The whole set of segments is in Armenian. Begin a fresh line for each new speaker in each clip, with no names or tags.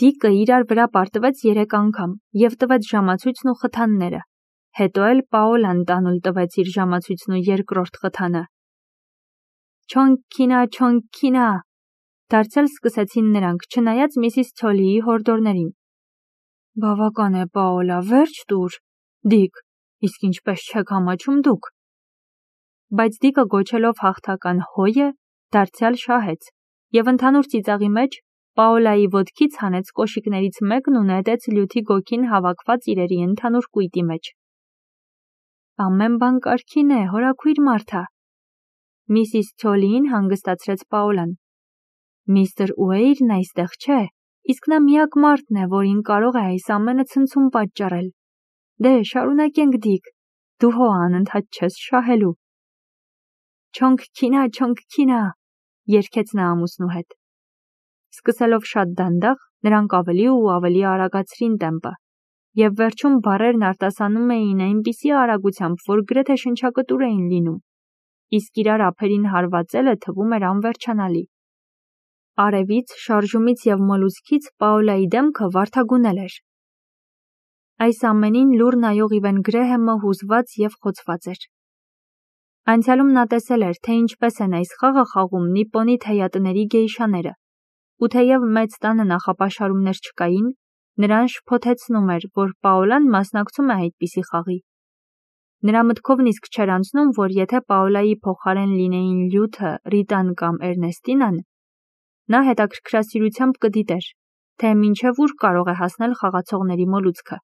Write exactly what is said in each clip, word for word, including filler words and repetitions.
Դիկը իրար վրա պարտվեց երեք անգամ և տվեց ժամացույցն ու խթանները, հետո էլ Պաոլան տանուլ տվեց իր ժամացույցն ու երկրորդ խթանը։ Չոնքինա, չոնքինա, դարձյալ սկսեցին նրանք, չնայած Միսիս Ցոլիի հորդորներին։ Բավական է, Պաոլա, վերջ տուր։ Դիկ, իսկ ինչպես չեք համաչում դուք։ Բայց Դիկը գոչելով հաղթական հոյը, դարձյալ շահեց և ընդհանուր ծիծաղի մեջ Պաոլայի ոտքից հանեց կոշիկներից մեկն ու նետեց լյութի գոգին հավաքված իրերի ընդհանուր կույտի մեջ։ Ամեն բան կարգին է, հորաքույր մարդա։ Միսիս Ցոլիին հանգստացրեց Պաոլան։ Միստր Ուեյրն այստեղ չէ, իսկ նա միակ մարդն է, որին կարող է այս ամենը ցնցում պատճառել։ Դե, շարունակենք, Դիկ, դու հո անընդհատ չես շահելու։ Չոնքինա, չոնքինա, երգեց նա ամուսնու հետ։ Սկսելով շատ դանդաղ, նրանք ավելի ու ավելի արագացրին տեմպը, և վերջում բառերն արտասանում էին այնպիսի արագությամբ, որ գրեթե շնչակտուր էին լինում, իսկ իրար ափերին հարվածելը թվում էր անվերջանալի։ Արևից, շարժումից և մոլուցքից Պաոլայի դեմքը վարդագունել էր։ Այս ամենին լուր նայող Իվեն Գրեհեմը հուզված և խոցված էր։ Անցյալում նա տեսել էր, թե ինչպես են այս խաղը խաղում նիպոնի թեյատների գեյշաները, ու թեև մեծ տանը նախապաշարումներ չկային, նրան շփոթեցնում էր, որ Պաոլան մասնակցում է այդպիսի խաղի։ Նրա մտքով նիսկ չէր անցնում, որ եթե Պաոլայի փոխարեն լինեին Լյութը, Ռիտան կամ Էրնեստինան, նա հետաքրքրասիրությամբ կդիտեր, թե մինչև ուր կարող է հասնել խաղացողների մոլուցքը։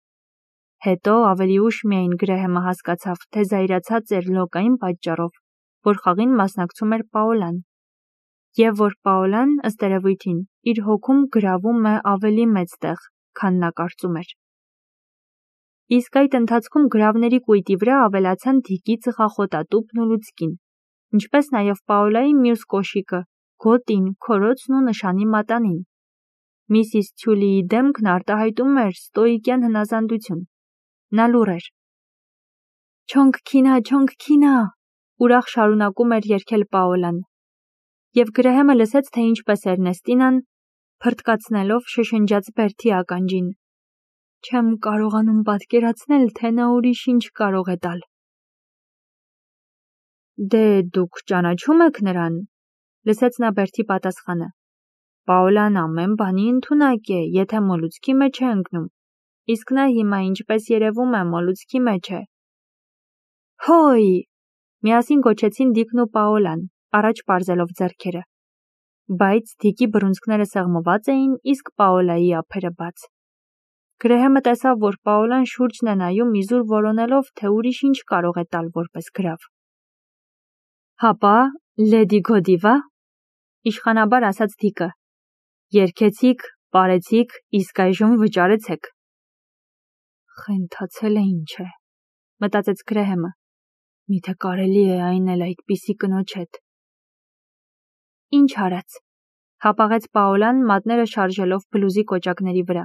Հետո ավելի ուշ միայն Գրեհեմը հասկացավ, թե զայրացած էր լոկ այն պատճառով, որ խաղին մասնակցում էր Պաոլան, և որ Պաոլան, ըստ երևույթին, իր հոգում գրավում է ավելի մեծ տեղ, քան նա կարծում էր։ Իսկ այդ ընթացքում գրավների կույտի վրա ավելացան Դիկի ծխախոտատուփն ու լուցկին, ինչպես նաև Պաոլայի մյուս կոշիկը, գոտին, քորոցն ու նշանի մատանին։ Միսիս Ցոլիի դեմքն արտահայտում էր ստոիկյան հնազանդություն։ Նա լուռ էր։ Չոնքինա, չոնքինա, ուրախ շարունակում էր երգել Պաոլան։ Եվ Գրեհեմը լսեց, թե ինչպես Էրնեստինան, փռթկացնելով շշնջաց բերդի ականջին։ Չեմ կարողանում պատկերացնել, թե նա ուրիշ ինչ կարող է տալ։ Դե, դուք ճանաչում եք նրան, լսեց նա բերդի պատասխանը։ Պաոլան ամեն բանի ընդունակ է, եթե մոլուցքի մեջ է ընկնում, իսկ նա հիմա ինչպես երևում է մոլուցքի մեջ է։ Հոյ, միասին գոչեցին Դիկն ու Պաոլան, առաջ պարզելով ձեռքերը։ Բայց Դիկի բռունցքները սեղմված էին, իսկ Պաոլայի ափերը բաց։ Գրեհեմը տեսավ, որ Պաոլան շուրջն է նայում իզուր որոնելով, թե ուրիշ ինչ կարող է տալ որպես գրավ։ Հապա, Լեդի Գոդիվա, իշխանաբար ասաց Դիկը։ Երգեցիք, պարեցիք, իսկ այժմ վճարեցեք։ Խենթացել է ինչ է, մտածեց Գրեհեմը։ Միթե կարելի է այն էլ այդպիսի կնոջ հետ։ Ինչ արած, հապաղեց Պաոլան մատները շարժելով բլուզի կոճակների վրա։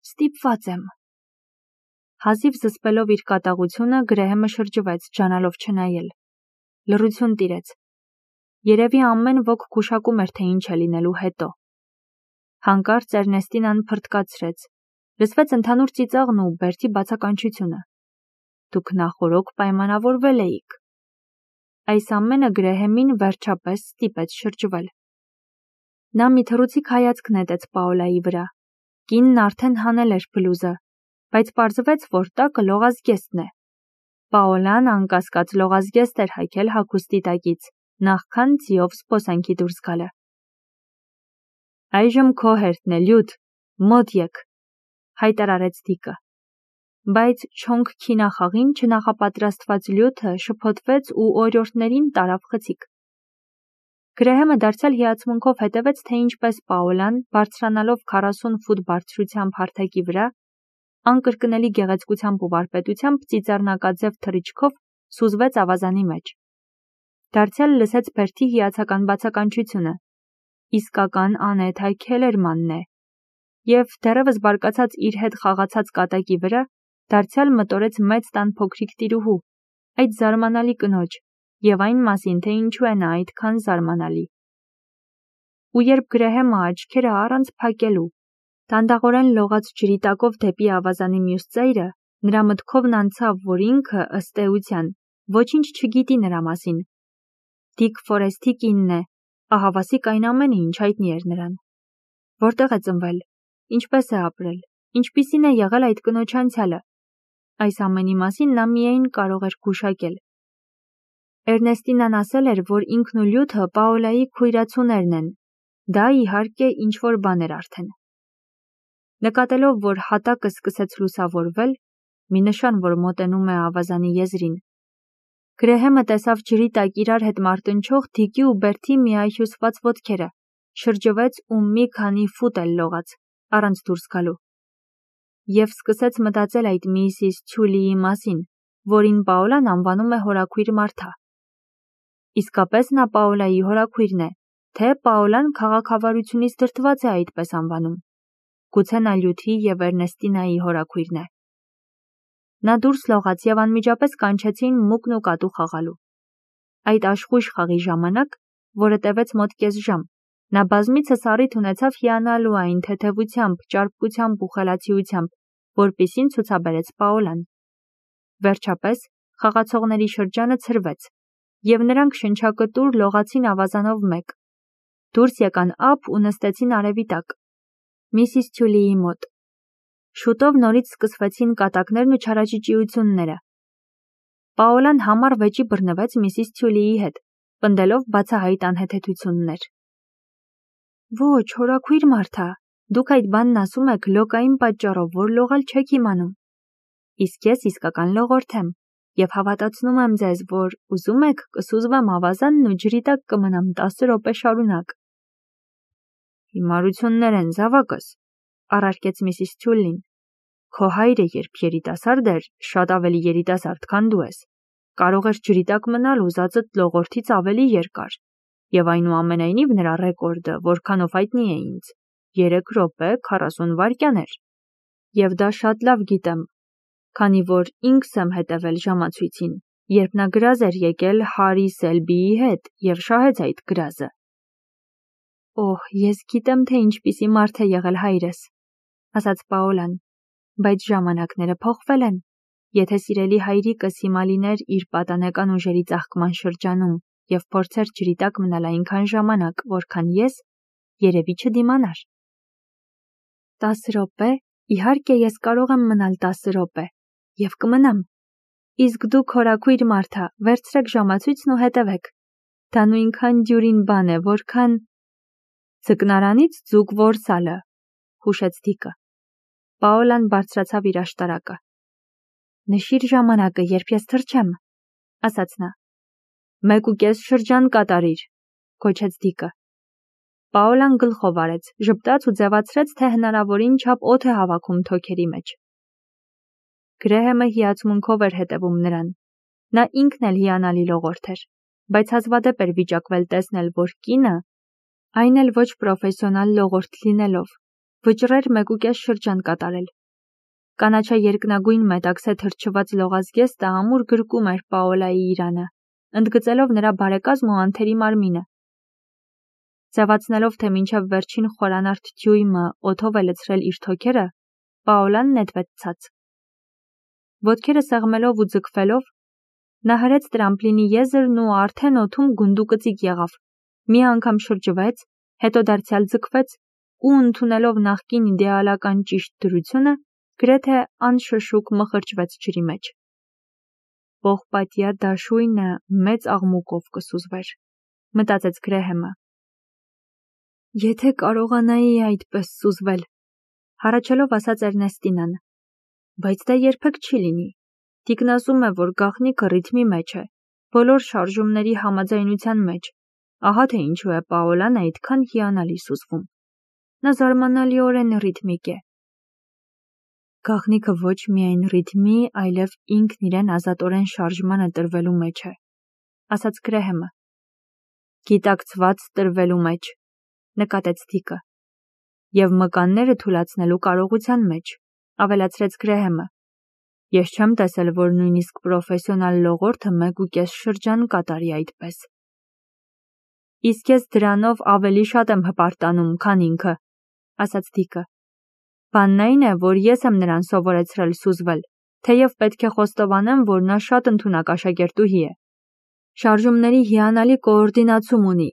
Ստիպված եմ։ Հազիվ զսպելով իր կատաղությունը, Գրեհեմը շրջվեց, ջանալով չնայել։ Լռություն տիրեց։ Երևի ամեն ոք գուշակում էր, թե ինչ է լինելու հետո։ Հանկարծ Էրնեստինան փռթկացրեց։ Լսվեց ընդհանուր ծիծաղն ու բերդի բացականչությունը։ Դուք նախօրոք պայմանավորվել էիք։ Այս ամենը Գրեհեմին վերջապես ստիպեց շրջվել։ Նա մի թռուցիկ հայացք նետեց Պաոլայի վրա։ Կինն արդեն հանել էր բլուզը, բայց պարզվեց, որ տակը լողազգեստն է։ Պաոլան անկասկած լողազգեստ էր հայքել հագուստի տակից, նախքան ձիով զբոսանքի դուրս գալը։ Այժմ քո հերթն է, Լյութ, մոտ եկ, հայտարարեց Դիկը։ Բայց չոնքինա խաղին չնախապատրաստված Լյութը շփոթվեց ու օրիորդներին տարավ խցիկ։ Գրեհեմը դարձյալ հիացմունքով հետևեց, թե ինչպես Պաոլան, բարձրանալով քառասուն ֆուտ բարձրությամբ հարթակի վրա, անկրկնելի գեղեցկությամբ ու վարպետությամբ ծիծեռնակաձև թռիչքով սուզվեց ավազանի մեջ։ Դարձյալ լսեց բերդի հիացական բացականչությունը։ Իսկական անեթայ Քելերմանն է։ Եվ դեռևս բարկացած իր հետ խաղացած կատակի վրա, դարձյալ մտորեց մեծ տան փոքրիկ տիրուհու, այդ զարմանալի կնոջ, և այն մասին, թե ինչու է նա այդքան զարմանալի։ Ու երբ Գրեհեմը աչքերը առանց փակելու, Տանդաղորեն լողաց ջրի տակով դեպի ավազանի մյուս ծայրը, նրա մտքովն անցավ, որ ինքը, ըստ էության, ոչինչ չգիտի նրա մասին։ Դիկ Ֆորեսթի կինն է, ահավասիկ այն ամենը, ինչ հայտնի էր նրան։ Որտեղ է ծնվել, ինչպես է ապրել, ինչպիսին է եղել այդ կնոջ անցյալը։ Այս ամենի մասին նա միայն կարող էր գուշակել։ Էրնեստինան ասել էր, որ ինքն ու Լյութը Պաոլայի քույրացուներն են։ Դա իհարկե ինչ-որ բան էր արդեն։ Նկատելով, որ հատակը սկսեց լուսավորվել, մի նշան, որ մոտենում է ավազանի եզրին, Գրեհեմը տեսավ ջրի տակ իրար հետ մարտնչող Դիկի ու Բերթի միահյուսված ոտքերը, շրջվեց ու մի քանի ֆուտ էլ լողաց, առանց դուրս գալու։ Եվ սկսեց մտածել այդ միսիս Թյուլիի մասին, որին Պաոլան անվանում է հորաքույր Մարթա։ Իսկապես նա Պաոլայի հորաքույրն է, թե Պաոլան քաղաքավարությունից դրդված է այդպես անվանում։ Գուցե նա Լյութի և Էրնեստինայի հորաքույրն է։ Նա դուրս լողաց և անմիջապես կանչեցին մուկն ու կատու խաղալու։ Այդ աշխույժ խաղի ժամանակ, որը տևեց մոտ կես ժամ, նա բազմիցս առիթ ունեցավ հիանալու այն թեթևությամբ, ճարպկությամբ ու խելացիությամբ, որպիսին ցուցաբերեց Պաոլան։ Վերջապես խաղացողների շրջանը ցրվեց, և նրանք շնչակտուր լողացին ավազանով մեկ։ Դուրս եկան ափ ու նստեցին արևի տակ, միսիս Թյուլիի մոտ։ Շուտով նորից սկսվեցին կատակներն ու չարաճճիությունները։ Պաոլան համառ վեճի բռնվեց միսիս Թյուլիի հետ, պնդելով բացահայտ անհեթեթություններ։ Ոչ, հորաքույր Մարթա, դուք այդ բանն ասում եք լոկային պատճառով, որ լողալ չեք իմանում։ Իսկ ես իսկական լողորդ եմ, և հավատացնում եմ ձեզ, որ ուզում եք կսուզվեմ ավազանն ու ջրի տակ կմնամ տասը րոպե շարունակ։ Հիմարություններ են, զավակս, առարկեց միսիս Թյուլին։ Քո հայրը, երբ երիտասարդ էր, շատ ավելի երիտասարդ, քան դու ես, կարող էր ջրի տակ մնալ ուզածդ լողորդից ավելի երկար, և այնուամենայնիվ նրա ռեկորդը, որքանով հայտնի է ինձ, երեք րոպե քառասուն վայրկյան էր։ Եվ դա շատ լավ գիտեմ, քանի որ ինքս եմ հետևել ժամացույցին, երբ նա գրազ էր եկել Հարի Սելբիի հետ և շահեց այդ գրազը։ Օհ, ես գիտեմ, թե ինչպիսի մարդ է եղել հայրս, ասաց Պաոլան, բայց ժամանակները փոխվել են։ Եթե սիրելի հայրիկս հիմա լիներ իր պատանեկան ուժերի ծաղկման շրջանում և փորձեր ջրի տակ մնալ այնքան ժամանակ, որքան ես, երևի չդիմանար։ Տասը րոպե, իհարկե ես կարող եմ մնալ տասը րոպե, և կմնամ։ Իսկ դուք, հորաքույր Մարթա, վերցրեք ժամացույցն ու հետևեք։ Դա նույնքան դյուրին բան է, որքան… Ձկնարանից ձուկ որսալը, հուշեց Դիկը։ Պաոլան բարձրացավ իր աշտարակը։ Նշիր ժամանակը, երբ ես թռչեմ, ասաց նա։ Մեկ ու կես շրջան կատարիր, գոչեց Դիկը։ Պաոլան գլխով արեց, ժպտաց ու ձևացրեց, թե հնարավորին չափ օդ է հավաքում թոքերի մեջ։ Գրեհեմը հիացմունքով էր հետևում նրան։ Նա ինքն էլ հիանալի լողորդ էր, բայց հազվադեպ էր վիճակվել տեսնել, որ կինը, այն էլ ոչ պրոֆեսիոնալ լողորդ լինելով, վճռեր մեկ ու կես շրջան կատարել։ Կանաչա երկնագույն մետաքսե թրջված լողազգեստը ամուր գրկում էր Պաոլայի իրանը, ընդգծելով նրա բարեկազմ ու անթերի մարմինը։ Ձևացնելով, թե մինչև վերջին խորանարդ դյույմը օդով է լցրել իր թոքերը, Պաոլան նետվեց ցած։ Ոտքերը սեղմելով ու ձգվելով, նա հրեց տրամպլինի եզրն ու արդեն օդում գունդուկծիկ եղավ, մի անգամ շրջվեց, հետո դարձյալ ձգվեց ու ընդունելով նախկին իդեալական ճիշտ դրությունը, գրեթե անշշուկ մխրճվեց ջրի մեջ։ Պողպատյա դաշույնը մեծ աղմուկով կսուզվեր, մտածեց Գրեհեմը։ Եթե կարողանայի այդպես սուզվել, հառաչելով ասաց Էրնեստինան, բայց դա երբեք չի լինի։ Դիկն ասում է, որ գաղտնիքը ռիթմի մեջ է, բոլոր շարժումների համաձայնության մեջ։ Ահա թե ինչու է Պաոլան այդքան հիանալի սուզվում։ Նա զարմանալիորեն ռիթմիկ է։ Գաղտնիքը ոչ միայն ռիթմի, այլև ինքն իրեն ազատորեն շարժմանը տրվելու մեջ է, ասաց Գրեհեմը։ Գիտակցված տրվելու մեջ, նկատեց Դիկը։ Եվ մկանները թուլացնելու կարողության մեջ, ավելացրեց Գրեհեմը։ Ես չեմ տեսել, որ նույնիսկ պրոֆեսիոնալ լողորդը մեկ ու կես շրջան կատարի այդպես։ Իսկ ես դրանով ավելի շատ եմ հպարտանում, քան ինքը, ասաց Դիկը։ Բանն այն է, որ ես եմ նրան սովորեցրել սուզվել, թեև պետք է խոստովանեմ, որ նա շատ ընդունակ աշակերտուհի է։ Շարժումների հիանալի կոորդինացում ունի,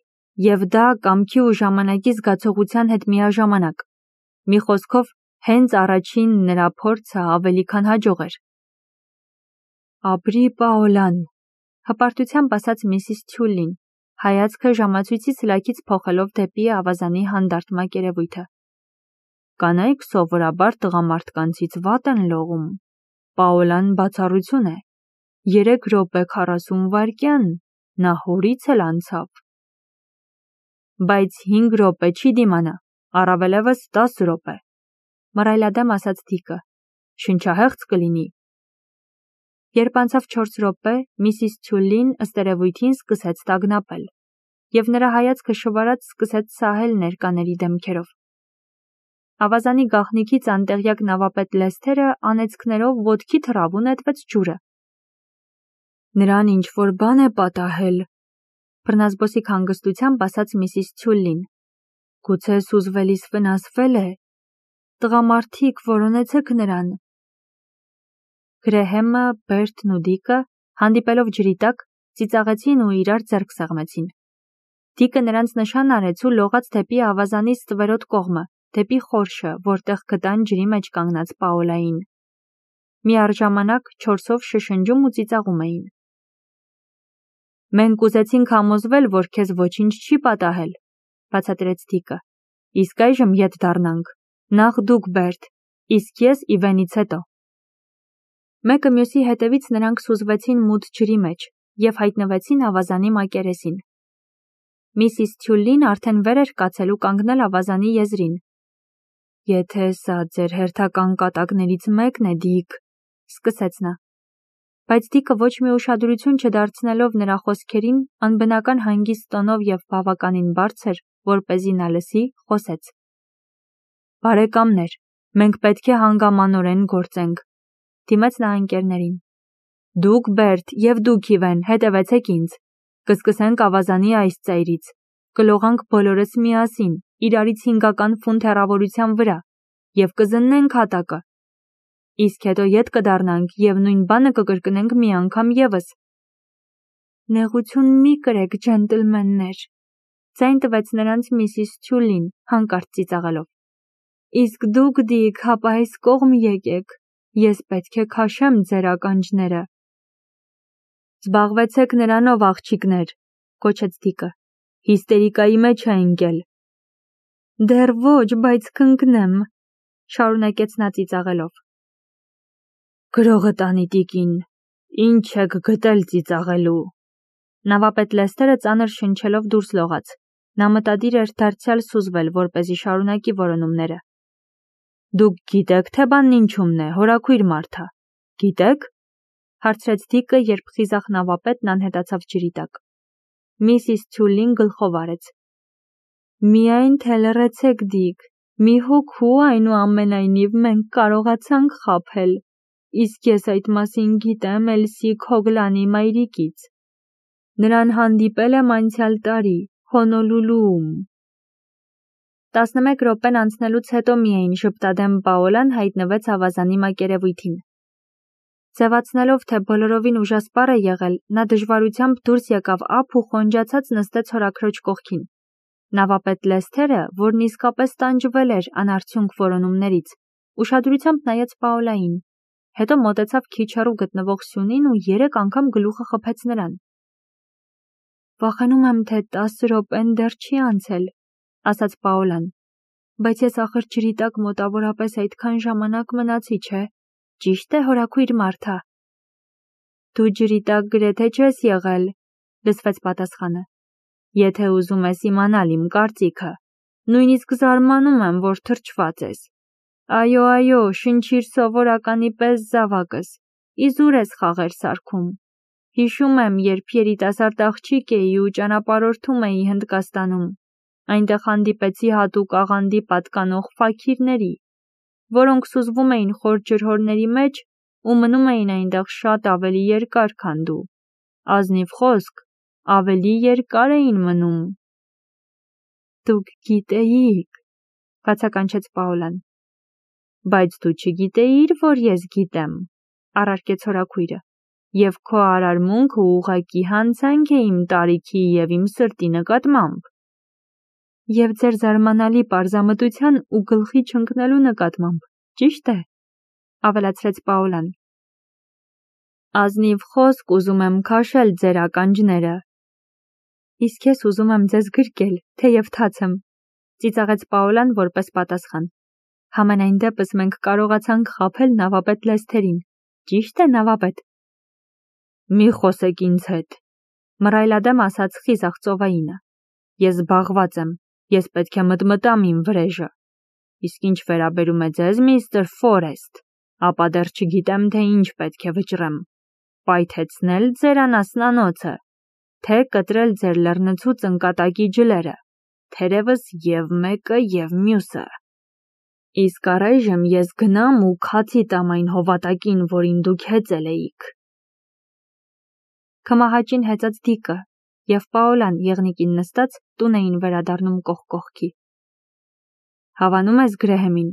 և դա կամքի ու ժամանակի զգացողության հետ միաժամանակ։ Մի խոսքով, հենց առաջին նրա փորձը ավելի քան հաջող էր։ Ապրի Պաոլան, հպարտությամբ ասաց միսիս Թյուլին, հայացքը ժամացույցի սլաքից փոխելով դեպի ավազանի հանդարտ մակերևույթը։ Կանայք սովորաբար տղամարդկանցից վատ են լողում։ Պաոլան բացառություն է։ Երեք րոպե քառասուն վայրկյան, նա հորից էլ անցավ։ Բայց հինգ րոպե չի դիմանա, առավելևս տաս րոպե, մռայլադեմ ասաց Դիկը, շնչահեղձ կլինի։ Երբ անցավ չորս րոպե, միսիս Թյուլին ըստ երևույթին սկսեց տագնապել, և նրա հայացքը շվարած սկսեց սահել ներկաների դեմքերով։ Ավազանի գաղտնիքից անտեղյակ նավապետ Լեսթերը անեծքներով ոտքի թռավ ու նետվեց ջուրը։ Նրան ինչ-որ բան է պատահել, բռնազբոսիկ հանգստությամբ ասաց միսիս Թյուլին։ Գուցե սուզվելիս վնասվել է։ Տղամարդիկ, որոնեցեք նրան։ Գրեհեմը, Բերթն ու Դիկը, հանդիպելով ջրի տակ, ծիծաղեցին ու իրար ձեռք սեղմեցին։ Դիկը նրանց նշան արեց ու լողաց դեպի ավազանի ստվերոտ կողմը, դեպի խորշը, որտեղ գտան ջրի մեջ կանգնած Պաոլային։ Միառժամանակ չորսով շշնջում ու ծիծաղում էին։ Մենք ուզեցինք համոզվել, որ քեզ ոչինչ չի պատահել, բացատրեց Դիկը։ Իսկ այժմ ետ դառնանք։ Նախ դուք, Բերթ, իսկ ես Իվենից հետո։ Մեկը մյուսի հետևից նրանք սուզվեցին մութ ջրի մեջ և հայտնվեցին ավազանի մակերեսին։ Միսիս Թյուլին արդեն վեր էր կացել ու կանգնել ավազանի եզրին։ Եթե սա ձեր հերթական կատակներից մեկն է, Դիկ, սկսեց նա։ Բայց Դիկը ոչ մի ուշադրություն չդարձնելով նրա խոսքերին, անբնական հանգիստ տոնով և բավականին բարձր, որպեսզի նա լսի, խոսեց. Բարեկամներ, մենք պետք է հանգամանորեն գործենք, դիմեց նա ընկերներին։ Դուք, Բերթ, և դուք, Իվեն, հետևեցեք ինձ։ Կսկսենք ավազանի այս ծայրից։ Կլողանք բոլորս միասին, իրարից հինգական ֆունտ հեռավորության վրա, և կզննենք հատակը։ Իսկ հետո ետ կդառնանք և նույն բանը կկրկնենք մի անգամ ևս։ Նեղություն մի կրեք, ջենտլմեններ, ձայն տվեց նրանց միսիս Թյուլին, հանկարծ ծիծաղելով։ Իսկ դուք, Դիկ, հապա այս կողմ եկեք, ես պետք է քաշեմ ձեր ականջները։ Զբաղվեցեք նրանով, աղջիկներ, կոչեց Դիկը, հիստերիկայի մեջ է ընկել։ Դեռ ոչ, բայց կընկնեմ, շարունակեց նա ծիծաղելով։ Գրողը տանի տիկին, ինչ եք գտել ծիծաղելու։ Նավապետ Լեսթերը ծանր շնչելով դուրս լողաց։ Նա մտադիր էր դարձյալ սուզվել, որպեսզի շարունակի որոնումները։ Դուք գիտեք, թե բանն ինչումն է, հորաքույր մարդա։ Գիտեք, հարցրեց Դիկը, երբ խիզախ նավապետն անհետացավ ջրի տակ։ Միսիս Թյուլին գլխով արեց։ Միայն թե լռեցեք, Դիկ, մի հոգու այնուամենայնիվ մենք կարողացանք խաբել, իսկ ես այդ մասին գիտեմ Էլսի Քոգլանի մայրիկից։ Նրան հանդիպել եմ անցյալ տարի, Հոնոլուլուում։ Տասնմեկ րոպեն անցնելուց հետո միայն ժպտադեմ Պաոլան հայտնվեց ավազանի մակերևույթին։ Ձևացնելով, թե բոլորովին ուժասպառ է եղել, նա դժվարությամբ դուրս եկավ ափ ու խոնջացած նստեց հորաքրոջ կողքին։ Նավապետ Լեսթերը, որն իսկապես տանջվել էր անարդյունք որոնումներից, ուշադրությամբ նայեց Պաոլային, հետո մոտեցավ քիչ հեռու գտնվող սյունին ու երեք անգամ գլուխը խփեց նրան։ Վախենում եմ, թե տասը րոպեն դեռ չի անցել, ասաց Պաոլան, բայց ես ախր ջրի տակ մոտավորապես այդքան ժամանակ մնացի, չէ, ճիշտ է, հորաքույր մարդա։ Դու ջրի տակ գրեթե չես եղել, լսվեց պատասխանը։ Եթե ուզում ես իմանալ իմ կարծիքը, նույնիսկ զարմանում եմ, որ թրջված ես։ Այո, այո, շնչիր սովորականի պես զավակս, իզուր ես խաղեր սարքում։ Հիշում եմ, երբ երիտասարդ աղջիկ էի ու ճանապարհորդում էի Հնդկաստանում, այնտեղ հանդիպեցի հատուկ աղանդի պատկանող ֆաքիրների, որոնք սուզվում էին խոր ջրհորների մեջ ու մնում էին այնտեղ շատ ավելի երկար, քան դու։ Ազնիվ խոսք, ավելի երկար էին մնում։ Դուք գիտեիք, բացականչեց Պաոլան։ Բայց դու չգիտեիր, որ ես գիտեմ, առարկեց հորաքույրը, և քո արարմունքը ուղղակի հանցանք է իմ տարիքի և իմ սրտի նկատմամբ։ Եվ ձեր զարմանալի պարզամտության ու գլխի չընկնելու նկատմամբ, ճիշտ է, ավելացրեց Պաոլան։ Ազնիվ խոսք ուզում եմ քաշել ձեր ականջները։ Իսկ ես ուզում եմ ձեզ գրկել, թեև թաց եմ, ծիծաղեց Պաոլան որպես պատասխան։ Համենայն դեպս մենք կարողացանք խաբել նավապետ Լեսթերին, ճիշտ է, նավապետ։ Մի խոսեք ինձ հետ, մռայլադեմ ասաց խիզախ ծովայինը։ Ես զբաղված եմ, ես պետք է մտմտամ իմ վրեժը։ Իսկ ինչ վերաբերում է ձեզ, միստր Ֆորեստ, ապա դեռ չգիտեմ, թե ինչ պետք է վճռեմ։ Պայթեցնել ձեր անասնանոցը, թե կտրել ձեր լեռնցուց ընկատակի ջլերը, թերևս և մեկը և մյուսը։ Իսկ առայժմ ես գնամ ու քացի տամ այն հովատակին, որին դուք հեծել էիք։ Քմահաճին հեծած Դիկը և Պաոլան եղնիկին նստած տուն էին վերադառնում կողք կողքի։ Հավանում ես Գրեհեմին,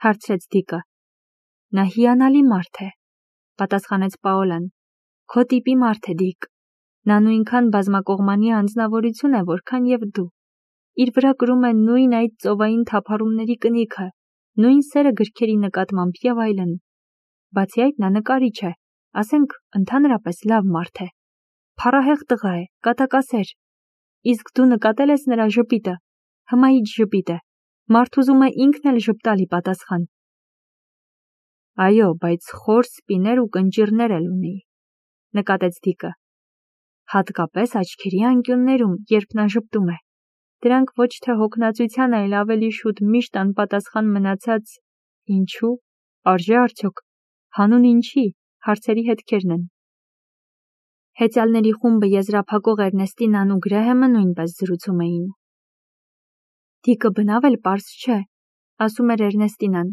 հարցրեց Դիկը։ Նա հիանալի մարդ է, պատասխանեց Պաոլան։ Քո տիպի մարդ է, Դիկ։ Նա նույնքան բազմակողմանի անձնավորություն է, որքան և դու։ Իր վրա կրում է նույն այդ ծովային թափառումների կնիքը, նույն սերը գրքերի նկատմամբ և այլն։ Բացի այդ, նա նկարիչ է, ասենք, ընդհանրապես լավ մարդ է։ Փառահեղ տղա է, կատակասեր։ Իսկ դու նկատել ես նրա ժպիտը, հմայիչ ժպիտ է, մարդ ուզում է ինքն էլ ժպտալի պատասխան։ Այո, բայց խոր սպիներ ու կնճիռներ էլ ունի, նկատեց Դիկը։ Հատկապես աչքերի անկյուններում, երբ նա ժպտում է։ Դրանք ոչ թե հոգնածության, այլ ավելի շուտ միշտ անպատասխան մնացած ինչու, արժե արդյոք, հանուն ինչի, հարցերի հետքերն են։ Հեծյալների խումբը եզրափակող Էրնեստինան ու Գրեհեմը նույնպես զրուցում էին։ Դիկը բնավ էլ պարզ չէ, ասում էր Էրնեստինան։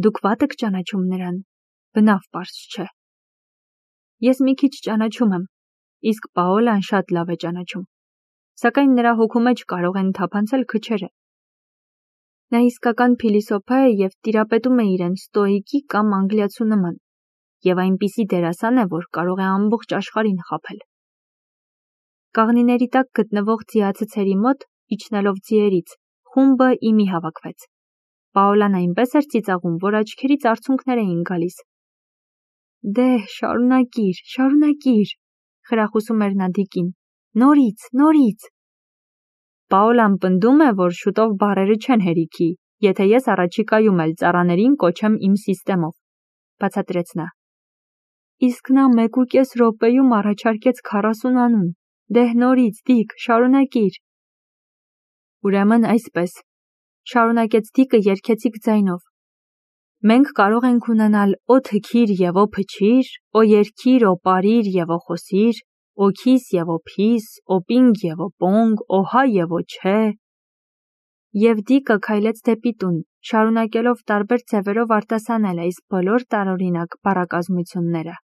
Դուք վատ եք ճանաչում նրան, բնավ պարզ չէ։ Ես մի քիչ ճանաչում եմ, իսկ Պաոլան շատ լավ է ճանաչում, սակայն նրա հոգու մեջ կարող են թափանցել քչերը։ Նա իսկական փիլիսոփա է և տիրապետում է իրեն ստոիկի կամ անգլիացու նման, և այնպիսի դերասան է, որ կարող է ամբողջ աշխարհին խաբել։ Կաղնիների տակ գտնվող ձիացցերի մոտ, իջնելով ձիերից, խումբը իմի հավաքվեց։ Պաոլան այնպես էր ծիծաղում, որ աչքերից արցունքներ էին գալիս։ Դե, շարունակիր, շարունակիր, խրախուսում էր նա Դիկին։ Նորից, նորից։ Պաոլան պնդում է, որ շուտով բառերը չեն հերիքի, եթե ես առաջիկայում էլ ծառաներին կոչեմ իմ սիստեմով, բացատրեց նա։ Իսկ նա մեկ ու կես րոպեում առաջարկեց քառասուն անուն։ Դե նորից, Դիկ, շարունակիր։ Ուրեմն այսպես, շարունակեց Դիկը երգեցիկ ձայնով։ Մենք կարող ենք ունենալ օ թքիր և օ փչիր, օ երգիր, օ պարիր և օ խոսիր, օ քիս և օ փիս, օ պինգ և օ պոնգ, օ հա և օ չէ։ Եվ Դիկը քայլեց դեպի տուն, շարունակելով տարբեր ձևերով արտասանել այս բոլոր տարօրինակ բառակազմությունները։